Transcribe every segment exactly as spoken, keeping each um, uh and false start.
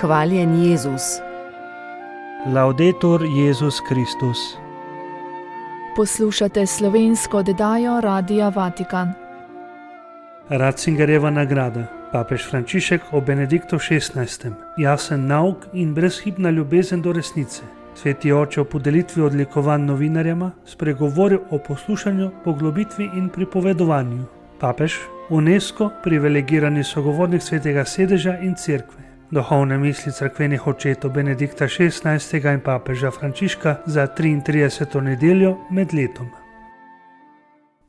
Hvaljen Jezus. Laudetur Jezus Kristus. Poslušate slovensko oddajo Radia Vatikan. Ratzingerjeva nagrada. Papež Frančišek o Benediktu šestnajstem. Jasen nauk in brezhibna ljubezen do resnice. Sveti oče o podelitvi odlikovanj novinarjema spregovoril o poslušanju, poglobitvi in pripovedovanju. Papež, UNESCO, privilegirani sogovornik svetega sedeža in cerkve. Duhovne misli cerkvenih očetov Benedikta šestnajstega in papeža Frančiška za triintrideseto nedeljo med letom.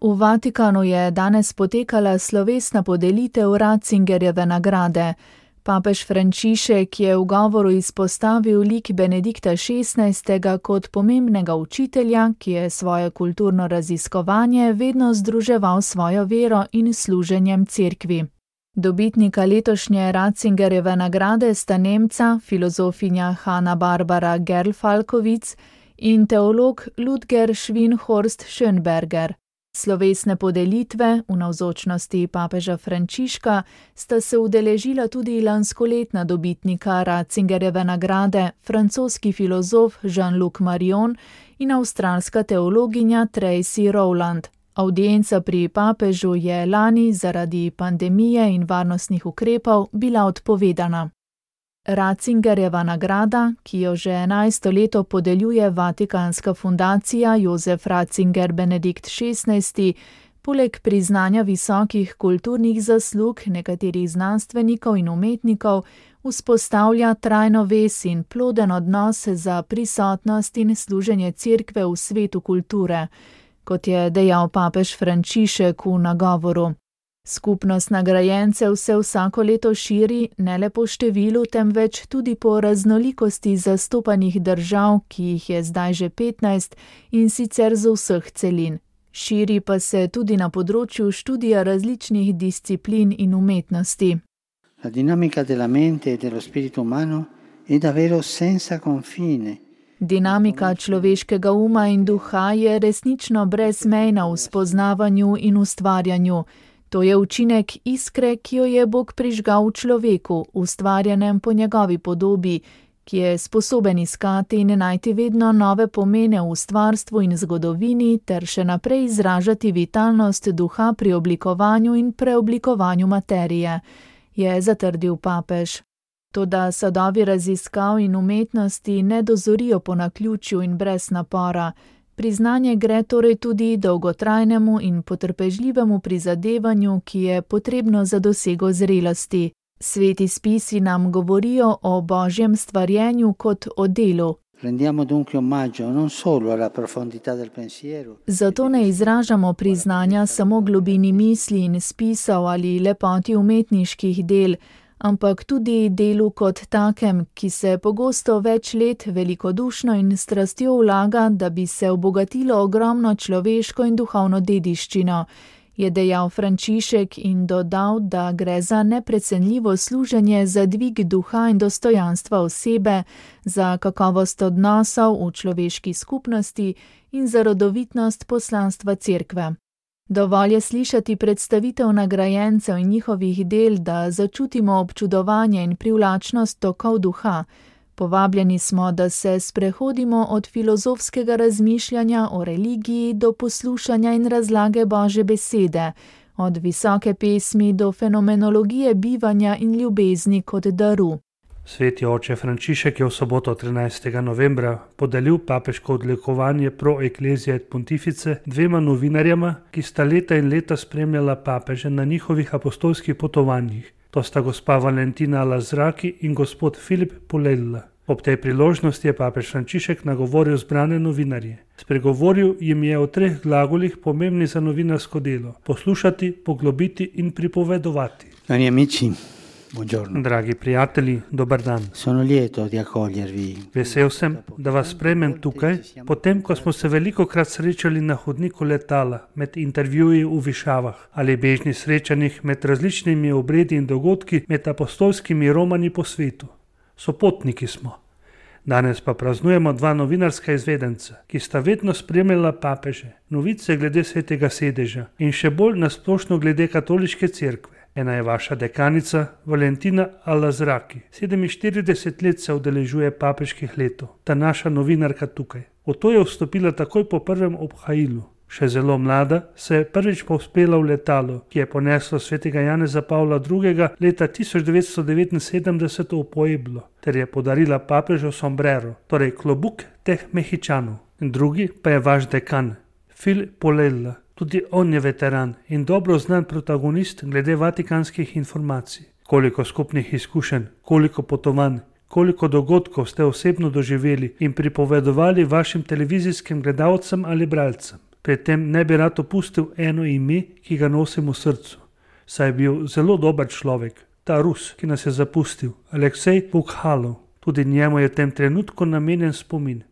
V Vatikanu je danes potekala slovesna podelitev Ratzingerjeve nagrade. Papež Frančišek je v govoru izpostavil lik Benedikta šestnajstega kot pomembnega učitelja, ki je svoje kulturno raziskovanje vedno združeval svojo vero in služenjem cerkvi. Dobitnika letošnje Ratzingerjeve nagrade sta Nemca, filozofinja Hanna Barbara Gerl-Falkowitz in teolog Ludger Schwinhorst Schönberger. Slovesne podelitve v navzočnosti papeža Frančiška sta se udeležila tudi lanskoletna dobitnika Ratzingerjeve nagrade, francoski filozof Jean-Luc Marion in avstralska teologinja Tracy Rowland. Avdienca pri papežu je lani zaradi pandemije in varnostnih ukrepov bila odpovedana. Ratzingerjeva nagrada, ki jo že enajsto leto podeljuje Vatikanska fundacija Josef Ratzinger Benedikt šestnajsti, poleg priznanja visokih kulturnih zaslug nekaterih znanstvenikov in umetnikov, vzpostavlja trajno vez in ploden odnos za prisotnost in služenje cerkve v svetu kulture, kot je dejal papež Frančišek v nagovoru. Skupnost nagrajencev se vsako leto širi ne le po številu, temveč tudi po raznolikosti zastopanih držav, ki jih je zdaj že petnajst in sicer z vseh celin. Širi pa se tudi na področju študija različnih disciplin in umetnosti. La dinamica della mente e dello spirito umano è davvero senza confine. Dinamika človeškega uma in duha je resnično brezmejna v spoznavanju in ustvarjanju. To je učinek iskre, ki jo je Bog prižgal v človeku, ustvarjenem po njegovi podobi, ki je sposoben iskati in najti vedno nove pomene v ustvarstvu in zgodovini ter še naprej izražati vitalnost duha pri oblikovanju in preoblikovanju materije, je zatrdil papež. Toda sadovi raziskav in umetnosti ne dozorijo po naključju in brez napora. Priznanje gre torej tudi dolgotrajnemu in potrpežljivemu prizadevanju, ki je potrebno za dosego zrelosti. Sveti spisi nam govorijo o božjem stvarjenju kot o delu. Zato ne izražamo priznanja samo globini misli in spisov ali lepoti umetniških del, ampak tudi delu kot takem, ki se pogosto več let velikodušno in strastjo vlaga, da bi se obogatilo ogromno človeško in duhovno dediščino, je dejal Frančišek in dodal, da gre za neprecenljivo služenje za dvig duha in dostojanstva osebe, za kakovost odnosov v človeški skupnosti in za rodovitnost poslanstva cerkve. Dovolj je slišati predstavitev nagrajencev in njihovih del, da začutimo občudovanje in privlačnost tokov duha. Povabljeni smo, da se sprehodimo od filozofskega razmišljanja o religiji do poslušanja in razlage Božje besede, od visoke pesmi do fenomenologije bivanja in ljubezni kot daru. Sveti oče Frančišek je v soboto trinajstega novembra podelil papeško odlikovanje Pro Ecclesia et Pontifice dvema novinarjema, ki sta leta in leta spremljala papeže na njihovih apostolskih potovanjih. To sta gospa Valentina Lazraki in gospod Filip Polella. Ob tej priložnosti je papež Frančišek nagovoril zbrane novinarje. Spregovoril jim je o treh glagolih pomembnih za novinarsko delo: poslušati, poglobiti in pripovedovati. Cari amici, buongiorno. Dragi prijatelji, dober dan. Sono lieto di accogliervi. Vesel sem, da vas sprejmem tukaj, potem ko smo se velikokrat srečali na hodniku letala, med intervjuji v višavah ali bežnih srečanjih med različnimi obredi in dogodki med apostolskimi romani po svetu. Sopotniki smo. Danes pa praznujemo dva novinarska izvedenca, ki sta vedno spremljala papeže, novice glede svetega sedeža in še bolj nasplošno glede katoliške cerkve. Ena je vaša dekanica Valentina Al-Azraki. sedeminštirideset let se udeležuje papeških letov, ta naša novinarka tukaj. V to je vstopila takoj po prvem obhajilu. Še zelo mlada se je prvič povzpela v letalo, ki je poneslo svetega Janeza Pavla drugega. leta tisoč devetsto devetinsedemdeset v Pueblo, ter je podarila papežu sombrero, torej klobuk teh Mehičanov. Drugi pa je vaš dekan, Phil Polella. Tudi on je veteran in dobro znan protagonist glede vatikanskih informacij. Koliko skupnih izkušenj, koliko potovanj, koliko dogodkov ste osebno doživeli in pripovedovali vašim televizijskim gledalcem ali bralcem. Pri tem ne bi rad opustil eno ime, ki ga nosim v srcu, saj je bil zelo dober človek, ta Rus, ki nas je zapustil, Aleksej Pukhalov. Tudi njemu je v tem trenutku namenjen spomin.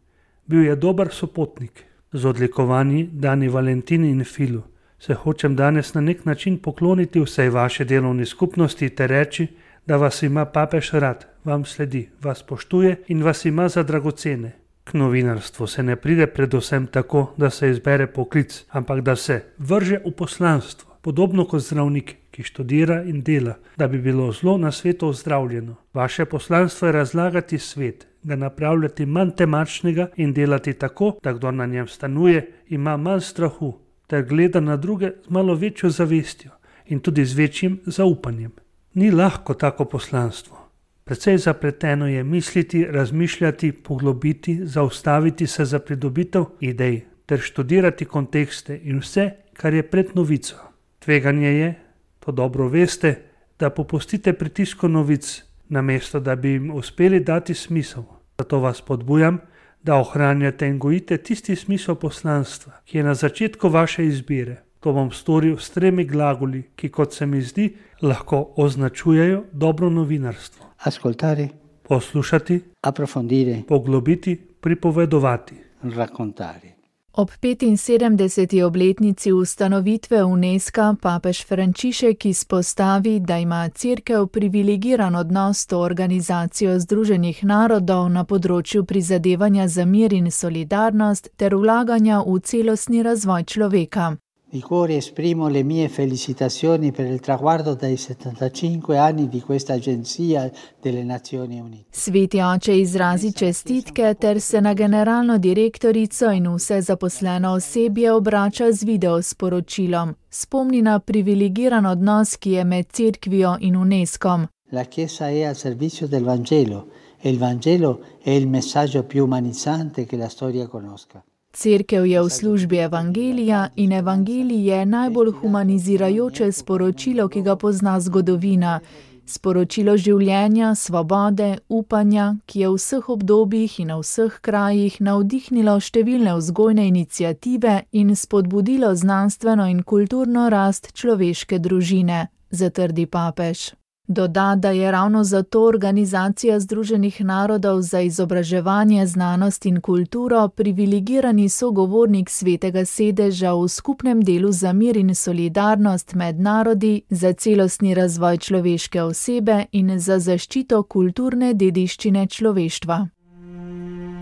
Bil je dober sopotnik. Z odlikovanji dani Valentini in Filu se hočem danes na nek način pokloniti vsej vaše delovni skupnosti ter reči, da vas ima papež rad, vam sledi, vas poštuje in vas ima za dragocene. K novinarstvu se ne pride predvsem tako, da se izbere poklic, ampak da se vrže v poslanstvo, podobno kot zdravnik, ki študira in dela, da bi bilo zlo na svetu ozdravljeno. Vaše poslanstvo je razlagati svet, ga napravljati manj temačnega in delati tako, da kdo na njem stanuje, ima manj strahu, ter gleda na druge z malo večjo zavestjo in tudi z večjim zaupanjem. Ni lahko tako poslanstvo. Precej zapleteno je misliti, razmišljati, poglobiti, zaustaviti se za pridobitev idej ter študirati kontekste in vse, kar je pred novico. Tveganje je, to dobro veste, da popustite pritisku novic, namesto da bi jim uspeli dati smisel. Zato vas podbujam, da ohranjate in gojite tisti smisel poslanstva, ki je na začetku vaše izbire. To bom storil s tremi glagoli, ki, kot se mi zdi, lahko označujejo dobro novinarstvo. Ascoltare, poslušati, approfondire, poglobiti, pripovedovati, raccontare. Ob petinsedemdeseti obletnici ustanovitve UNESCO papež Frančišek izpostavi, da ima Cerkev privilegiran odnos s to organizacijo Združenih narodov na področju prizadevanja za mir in solidarnost ter vlaganja v celostni razvoj človeka. Di cuore esprimo le mie felicitazioni per il traguardo dei settantacinque anni di questa agenzia delle Nazioni Unite. Sveti oče izrazi čestitke ter se na generalno direktorico in vse zaposleno osebje obrača z video sporočilom. Spomni na privilegiran odnos, ki je med Cerkvijo in UNESCOM. La Chiesa è al servizio del Vangelo e il Vangelo è il messaggio più umanizzante che la storia conosca. Cerkev je v službi evangelija in evangelij je najbolj humanizirajoče sporočilo, ki ga pozna zgodovina. Sporočilo življenja, svobode, upanja, ki je v vseh obdobjih in na vseh krajih navdihnilo številne vzgojne iniciative in spodbudilo znanstveno in kulturno rast človeške družine, zatrdi papež. Doda, da je ravno zato Organizacija Združenih narodov za izobraževanje, znanost in kulturo privilegirani sogovornik Svetega sedeža v skupnem delu za mir in solidarnost med narodi, za celostni razvoj človeške osebe in za zaščito kulturne dediščine človeštva.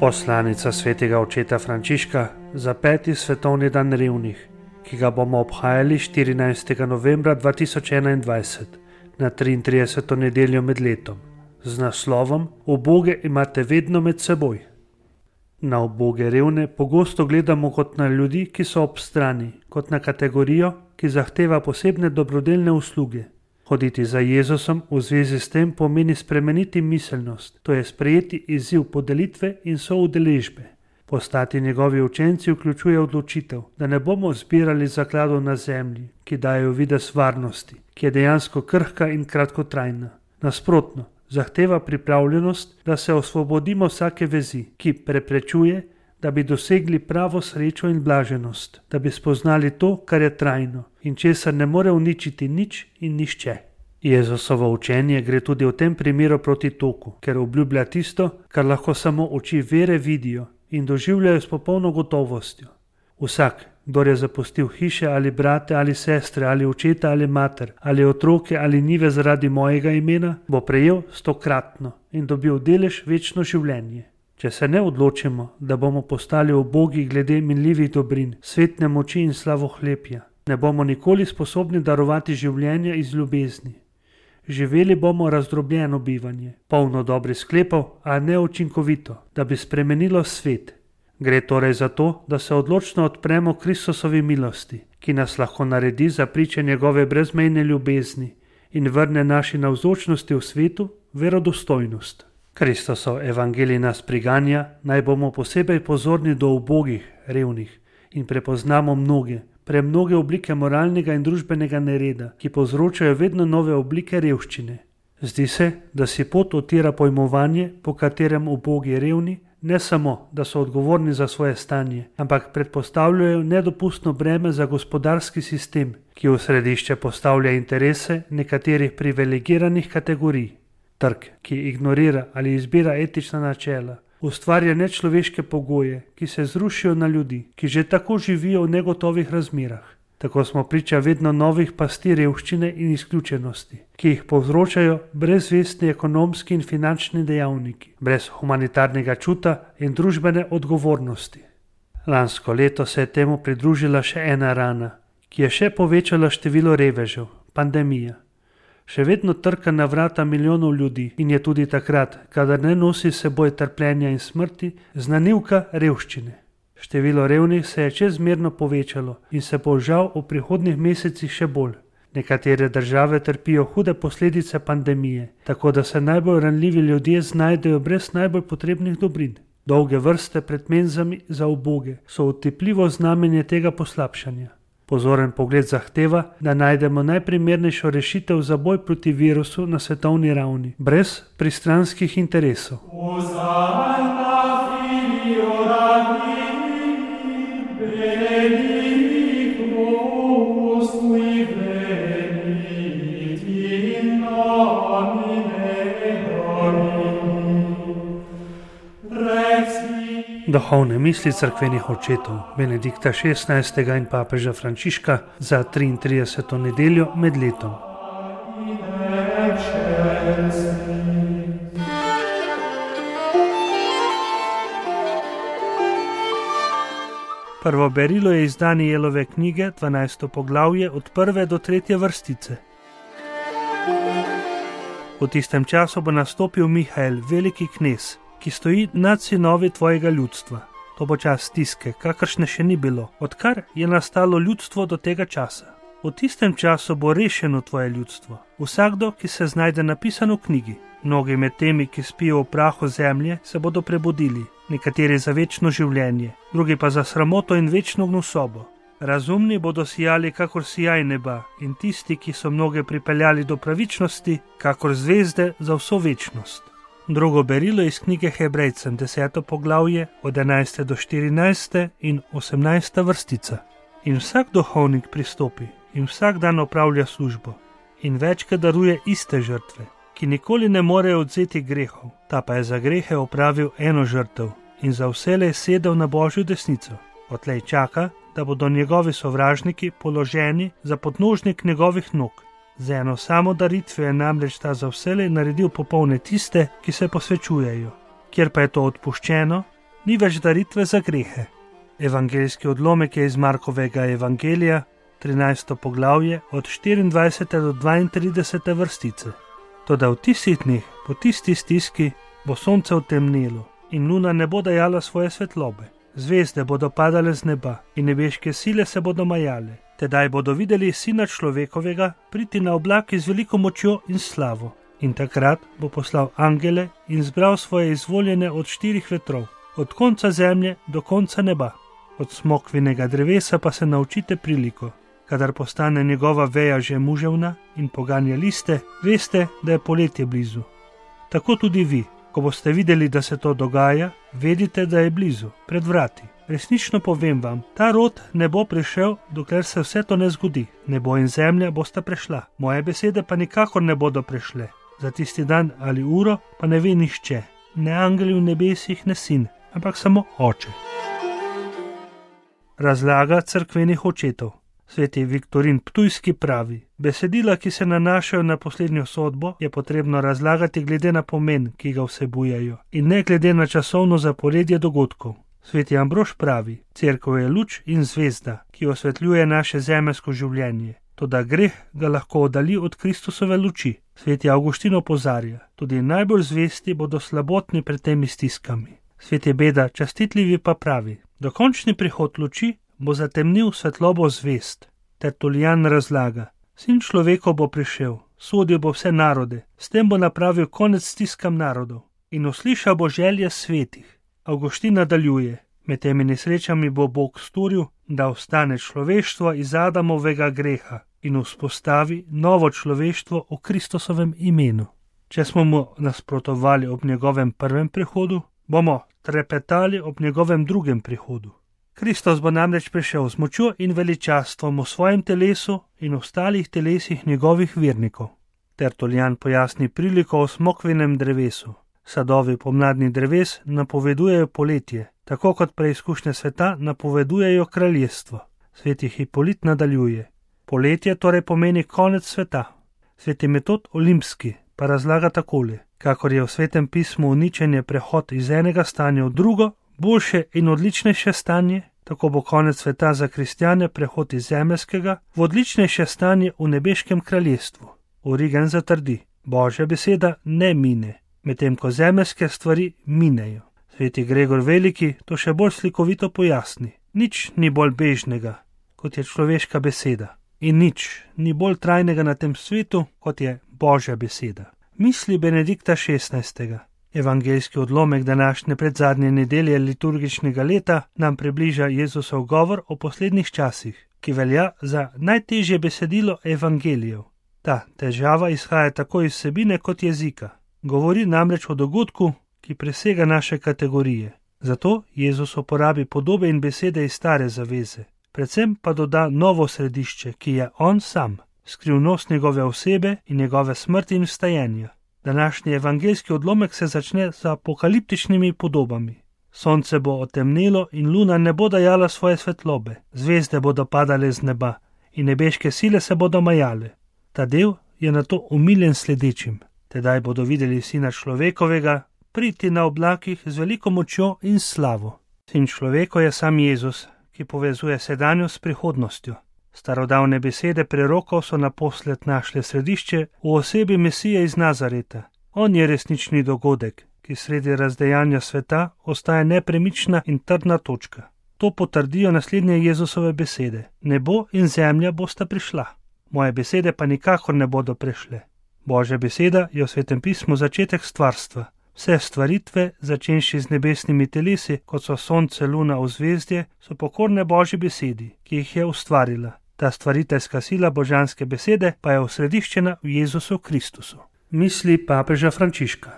Poslanica svetega očeta Frančiška za peti svetovni dan revnih, ki ga bomo obhajali štirinajstega novembra dva tisoč enaindvajset. Na triintrideseto nedeljo med letom, z naslovom Uboge imate vedno med seboj. Na uboge revne pogosto gledamo kot na ljudi, ki so ob strani, kot na kategorijo, ki zahteva posebne dobrodelne usluge. Hoditi za Jezusom v zvezi s tem pomeni spremeniti miselnost, to je sprejeti izziv podelitve in soudeležbe. Postati njegovi učenci vključuje odločitev, da ne bomo zbirali zakladov na zemlji, ki dajo videz varnosti, ki je dejansko krhka in kratkotrajna. Nasprotno, zahteva pripravljenost, da se osvobodimo vsake vezi, ki preprečuje, da bi dosegli pravo srečo in blaženost, da bi spoznali to, kar je trajno in česar ne more uničiti nič in nišče. Jezusovo učenje gre tudi v tem primeru proti toku, ker obljublja tisto, kar lahko samo oči vere vidijo in doživljajo s popolno gotovostjo. Vsak, kdor je zapustil hiše ali brate ali sestre ali očeta ali mater ali otroke ali njive zaradi mojega imena, bo prejel stokratno in dobil delež večno življenje. Če se ne odločimo, da bomo postali ubogi glede minljivih dobrin, svetne moči in slavohlepja, Ne bomo nikoli sposobni darovati življenja iz ljubezni. Živeli bomo razdrobljeno bivanje, polno dobrih sklepov, a neučinkovito, da bi spremenilo svet. Gre torej za to, da se odločno odpremo Kristusovi milosti, ki nas lahko naredi za priče njegove brezmejne ljubezni in vrne naši navzočnosti v svetu verodostojnost. Kristusov evangelij nas priganja, naj bomo posebej pozorni do ubogih, revnih in prepoznamo mnoge, premnoge oblike moralnega in družbenega nereda, ki povzročajo vedno nove oblike revščine. Zdi se, da si pot utira pojmovanje, po katerem ubogi revni ne samo, da so odgovorni za svoje stanje, ampak predpostavljajo nedopustno breme za gospodarski sistem, ki v središče postavlja interese nekaterih privilegiranih kategorij. Trg, ki ignorira ali izbira etična načela, ustvarja nečloveške pogoje, ki se zrušijo na ljudi, ki že tako živijo v negotovih razmerah. Tako smo priča vedno novih pasti revščine in izključenosti, ki jih povzročajo brezvestni ekonomski in finančni dejavniki, brez humanitarnega čuta in družbene odgovornosti. Lansko leto se je temu pridružila še ena rana, ki je še povečala število revežev, pandemija. Še vedno trka na vrata milijonov ljudi in je tudi takrat, kadar ne nosi seboj trpljenja in smrti, znanilka revščine. Število revnih se je čezmerno povečalo in se bo žal v prihodnjih mesecih še bolj. Nekatere države trpijo hude posledice pandemije, tako da se najbolj ranljivi ljudje znajdejo brez najbolj potrebnih dobrin. Dolge vrste pred menzami za uboge so otipljivo znamenje tega poslabšanja. Pozoren pogled zahteva, da najdemo najprimernejšo rešitev za boj proti virusu na svetovni ravni, brez pristranskih interesov. Duhovne misli cerkvenih očetov Benedikta šestnajstega in papeža Frančiška za triintrideseto nedeljo med letom. Prvo berilo je iz Danijelove knjige, dvanajsto poglavje od prve do tretje vrstice. V tistem času bo nastopil Mihael, veliki knez, ki stoji nad sinovi tvojega ljudstva. To bo čas stiske, kakršne še ni bilo, odkar je nastalo ljudstvo do tega časa. V tistem času bo rešeno tvoje ljudstvo, vsakdo, ki se znajde napisan v knjigi. Mnogi med temi, ki spijo v prahu zemlje, se bodo prebudili, nekateri za večno življenje, drugi pa za sramoto in večno gnusobo. Razumni bodo sijali kakor sijaj neba in tisti, ki so mnoge pripeljali do pravičnosti, kakor zvezde za vso večnost. Drugo berilo iz knjige Hebrejcem, deseto poglavje, od enajste do štirinajste in osemnajsta vrstica. In vsak duhovnik pristopi in vsak dan opravlja službo in večkrat daruje iste žrtve, ki nikoli ne morejo odzeti grehov, ta pa je za grehe opravil eno žrtev in za vselej sedel na Božjo desnico. Odtlej čaka, da bodo njegovi sovražniki položeni za podnožnik njegovih nog. Z eno samo daritvijo je namreč ta za vselej naredil popolne tiste, ki se posvečujejo. Kjer pa je to odpuščeno, ni več daritve za grehe. Evangeljski odlomek je iz Markovega evangelija, trinajsto poglavje, od štiriindvajsete do dvaintridesete vrstice. Toda v tistih dneh, po tisti stiski, bo sonce otemnelo in luna ne bo dajala svoje svetlobe. Zvezde bodo padale z neba in nebeške sile se bodo majale. Tedaj bodo videli Sina človekovega priti na oblaki z veliko močjo in slavo. In takrat bo poslal angele in zbral svoje izvoljene od štirih vetrov, od konca zemlje do konca neba. Od smokvinega drevesa pa se naučite priliko. Kadar postane njegova veja že muževna in poganja liste, veste, da je poletje blizu. Tako tudi vi, ko boste videli, da se to dogaja, vedite, da je blizu, pred vrati. Resnično povem vam, ta rod ne bo prišel, dokler se vse to ne zgodi. Nebo in zemlja bosta prešla, moje besede pa nikakor ne bodo prešle. Za tisti dan ali uro pa ne ve nihče, ne angeli v nebesih, ne sin, ampak samo oče. Razlaga cerkvenih očetov. Sveti Viktorin Ptujski pravi, besedila, ki se nanašajo na poslednjo sodbo, je potrebno razlagati glede na pomen, ki ga vsebujejo, in ne glede na časovno zaporedje dogodkov. Sveti Ambrož pravi: Cerkev je luč in zvezda, ki osvetljuje naše zemeljsko življenje. Toda greh ga lahko oddalji od Kristusove luči. Sveti Avguštin opozarja: tudi najbolj zvesti bodo slabotni pred temi stiskami. Sveti Beda častitljivi pa pravi: dokončni prihod luči bo zatemnil svetlobo zvest. Tertulijan razlaga: Sin človekov bo prišel, sodil bo vse narode, s tem bo napravil konec stiskam narodov in uslišal bo želje svetih. Avguštin nadaljuje: med temi nesrečami bo Bog storil, da ostane človeštvo iz Adamovega greha in vzpostavi novo človeštvo v Kristusovem imenu. Če smo mu nasprotovali ob njegovem prvem prihodu, bomo trepetali ob njegovem drugem prihodu. Kristus bo namreč prišel z močjo in veličastvom v svojem telesu in ostalih telesih njegovih vernikov. Tertulijan pojasni priliko o smokvinem drevesu. Sadovi pomladnih dreves napovedujejo poletje, tako kot preizkušnje sveta napovedujejo kraljestvo. Sveti Hipolit nadaljuje: poletje torej pomeni konec sveta. Sveti Metod Olimpski pa razlaga takole: kakor je v Svetem pismu uničenje prehod iz enega stanja v drugo, boljše in odličnejše stanje, tako bo konec sveta za kristjane prehod iz zemeljskega v odličnejše stanje v nebeškem kraljestvu. Origen zatrdi: Božja beseda ne mine, medtem ko zemeljske stvari minejo. Sveti Gregor Veliki to še bolj slikovito pojasni: nič ni bolj bežnega, kot je človeška beseda, in nič ni bolj trajnega na tem svetu, kot je Božja beseda. Misli Benedikta šestnajstega. Evangeljski odlomek današnje predzadnje nedelje liturgičnega leta nam približa Jezusov govor o poslednjih časih, ki velja za najtežje besedilo evangelijev. Ta težava izhaja tako iz vsebine kot jezika. Govori namreč o dogodku, ki presega naše kategorije. Zato Jezus uporabi podobe in besede iz stare zaveze. Predvsem pa doda novo središče, ki je on sam, skrivnost njegove osebe in njegove smrti in vstajenja. Današnji evangeljski odlomek se začne z apokaliptičnimi podobami. Sonce bo otemnelo in luna ne bo dajala svoje svetlobe, zvezde bodo padale z neba in nebeške sile se bodo majale. Ta del je nato umiljen sledečim. Tedaj bodo videli Sina človekovega priti na oblakih z veliko močjo in slavo. Sin človeko je sam Jezus, ki povezuje sedanjost s prihodnostjo. Starodavne besede prerokov so naposled našle središče v osebi Mesije iz Nazareta. On je resnični dogodek, ki sredi razdejanja sveta ostaja nepremična in trdna točka. To potrdijo naslednje Jezusove besede: nebo in zemlja bosta prišla, moje besede pa nikakor ne bodo prešle. Božja beseda je v Svetem pismu začetek stvarstva. Vse stvaritve, začenši z nebesnimi telesi, kot so sonce, luna, ozvezdje, so pokorne Božji besedi, ki jih je ustvarila. Ta stvariteljska sila božanske besede pa je osrediščena v Jezusu Kristusu. Misli papeža Frančiška.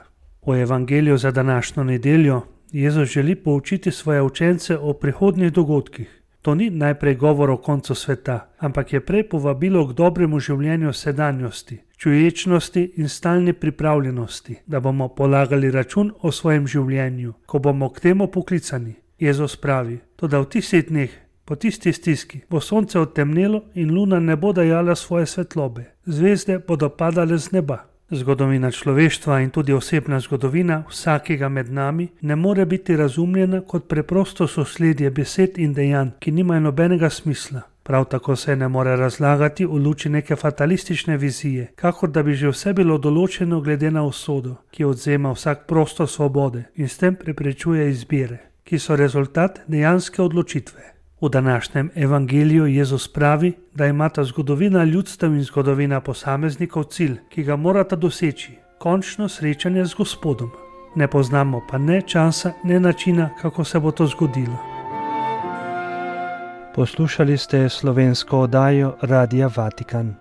V evangeliju za današnjo nedeljo Jezus želi poučiti svoje učence o prihodnjih dogodkih. To ni najprej govor o koncu sveta, ampak je prej povabilo k dobremu življenju sedanjosti, čuječnosti in stalni pripravljenosti, da bomo polagali račun o svojem življenju, ko bomo k temu poklicani. Jezus pravi: toda v tistih dneh, po tisti stiski, bo sonce odtemnelo in luna ne bo dajala svoje svetlobe, zvezde bodo padale z neba. Zgodovina človeštva in tudi osebna zgodovina vsakega med nami ne more biti razumljena kot preprosto sosledje besed in dejanj, ki nimajo nobenega smisla. Prav tako se ne more razlagati v luči neke fatalistične vizije, kakor da bi že vse bilo določeno glede na usodo, ki odzema vsak prostor svobode in s tem preprečuje izbire, ki so rezultat dejanske odločitve. V današnjem evangeliju Jezus pravi, da imata zgodovina ljudstev in zgodovina posameznikov cilj, ki ga morata doseči, končno srečanje z Gospodom. Ne poznamo pa ne časa, ne načina, kako se bo to zgodilo. Poslušali ste slovensko oddajo Radia Vatikan.